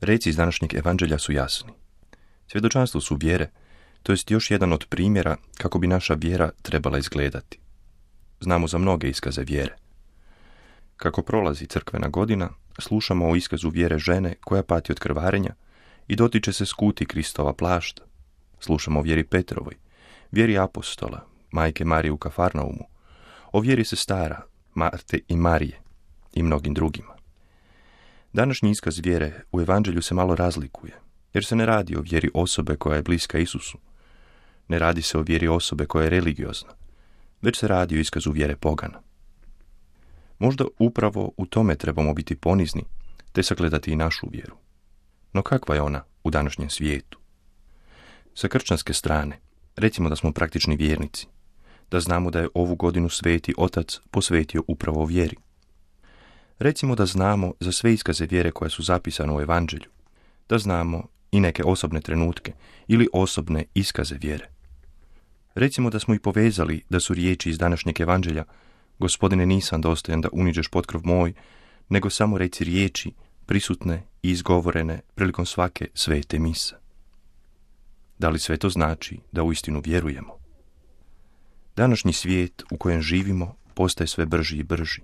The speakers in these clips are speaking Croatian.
Reci iz današnjeg evanđelja su jasni. Svjedočanstvo su vjere, to jest još jedan od primjera kako bi naša vjera trebala izgledati. Znamo za mnoge iskaze vjere. Kako prolazi crkvena godina, slušamo o iskazu vjere žene koja pati od krvarenja i dotiče se skuti Kristova plašta. Slušamo o vjeri Petrovoj, vjeri apostola, majke Marije u Kafarnaumu, o vjeri sestara, Marte i Marije i mnogim drugima. Današnji iskaz vjere u evanđelju se malo razlikuje, jer se ne radi o vjeri osobe koja je bliska Isusu. Ne radi se o vjeri osobe koja je religiozna, već se radi o iskazu vjere pogana. Možda upravo u tome trebamo biti ponizni, te sagledati i našu vjeru. No kakva je ona u današnjem svijetu? Sa kršćanske strane, recimo da smo praktični vjernici, da znamo da je ovu godinu Sveti Otac posvetio upravo vjeri. Recimo da znamo za sve iskaze vjere koje su zapisane u evanđelju, da znamo i neke osobne trenutke ili osobne iskaze vjere. Recimo da smo i povezali da su riječi iz današnjeg evanđelja: Gospodine, nisam dostojan da uniđeš potkrov moj, nego samo reci riječi prisutne i izgovorene prilikom svake svete mise. Da li sve to znači da uistinu vjerujemo? Današnji svijet u kojem živimo postaje sve brži i brži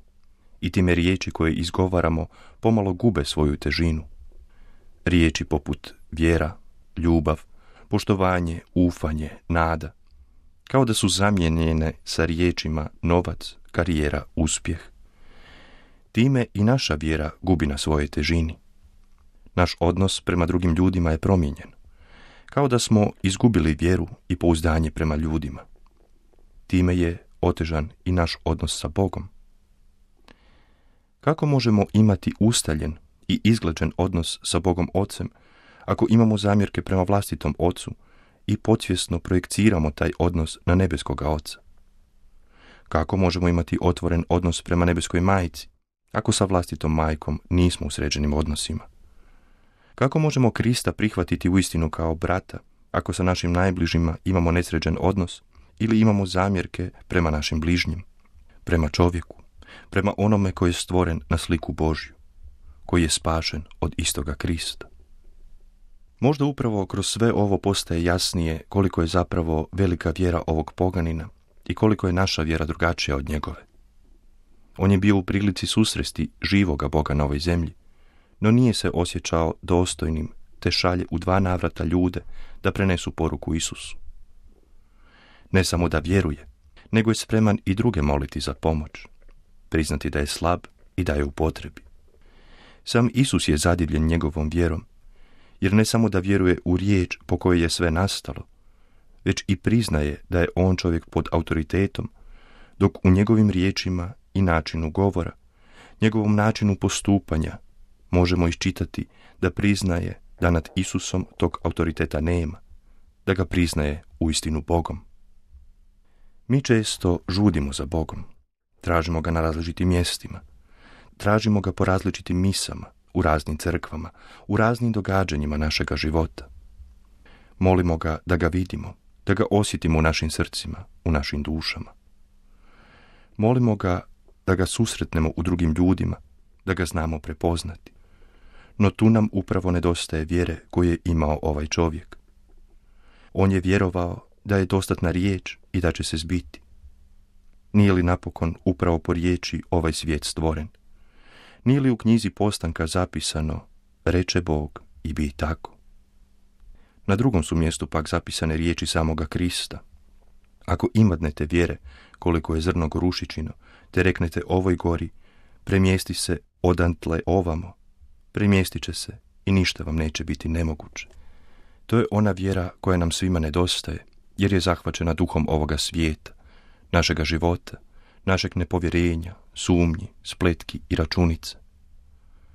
i time riječi koje izgovaramo pomalo gube svoju težinu. Riječi poput vjera, ljubav, poštovanje, ufanje, nada, kao da su zamijenjene sa riječima novac, karijera, uspjeh. Time i naša vjera gubi na svojoj težini. Naš odnos prema drugim ljudima je promijenjen, kao da smo izgubili vjeru i pouzdanje prema ljudima. Time je otežan i naš odnos sa Bogom. Kako možemo imati ustaljen i izglađen odnos sa Bogom Ocem ako imamo zamjerke prema vlastitom Ocu i podsvjesno projekciramo taj odnos na nebeskoga Oca? Kako možemo imati otvoren odnos prema nebeskoj Majci ako sa vlastitom majkom nismo u sređenim odnosima? Kako možemo Krista prihvatiti uistinu kao brata ako sa našim najbližima imamo nesređen odnos ili imamo zamjerke prema našim bližnjim, prema čovjeku, prema onome koji je stvoren na sliku Božju, koji je spašen od istoga Krista? Možda upravo kroz sve ovo postaje jasnije koliko je zapravo velika vjera ovog poganina i koliko je naša vjera drugačija od njegove. On je bio u prilici susresti živoga Boga na ovoj zemlji, no nije se osjećao dostojnim, te šalje u 2 navrata ljude da prenesu poruku Isusu. Ne samo da vjeruje, nego je spreman i druge moliti za pomoć, priznati da je slab i da je u potrebi. Sam Isus je zadivljen njegovom vjerom, jer ne samo da vjeruje u riječ po kojoj je sve nastalo, već i priznaje da je on čovjek pod autoritetom, dok u njegovim riječima i načinu govora, njegovom načinu postupanja, možemo iščitati da priznaje da nad Isusom tog autoriteta nema, da ga priznaje uistinu Bogom. Mi često žudimo za Bogom, tražimo ga na različitim mjestima, tražimo ga po različitim misama, u raznim crkvama, u raznim događanjima našega života. Molimo ga da ga vidimo, da ga osjetimo u našim srcima, u našim dušama. Molimo ga da ga susretnemo u drugim ljudima, da ga znamo prepoznati. No tu nam upravo nedostaje vjere koju je imao ovaj čovjek. On je vjerovao da je dostatna riječ i da će se zbiti. Nije li napokon upravo po riječi ovaj svijet stvoren? Nije li u knjizi Postanka zapisano: reče Bog i bi tako? Na drugom su mjestu pak zapisane riječi samoga Krista: ako imadnete vjere koliko je zrno gorušičino, te reknete ovoj gori: premjesti se odantle ovamo, premjestit će se i ništa vam neće biti nemoguće. To je ona vjera koja nam svima nedostaje, jer je zahvaćena duhom ovoga svijeta, našega života, našeg nepovjerenja, sumnji, spletki i računice.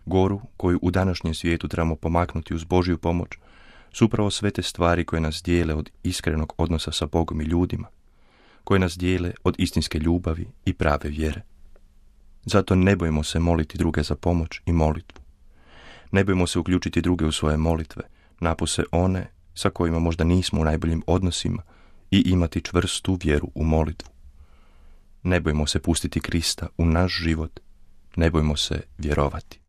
Goru koju u današnjem svijetu trebamo pomaknuti uz Božju pomoć su upravo sve te stvari koje nas dijele od iskrenog odnosa sa Bogom i ljudima, koje nas dijele od istinske ljubavi i prave vjere. Zato ne bojimo se moliti druge za pomoć i molitvu. Ne bojimo se uključiti druge u svoje molitve, napose one sa kojima možda nismo u najboljim odnosima, i imati čvrstu vjeru u molitvu. Ne bojimo se pustiti Krista u naš život, ne bojimo se vjerovati.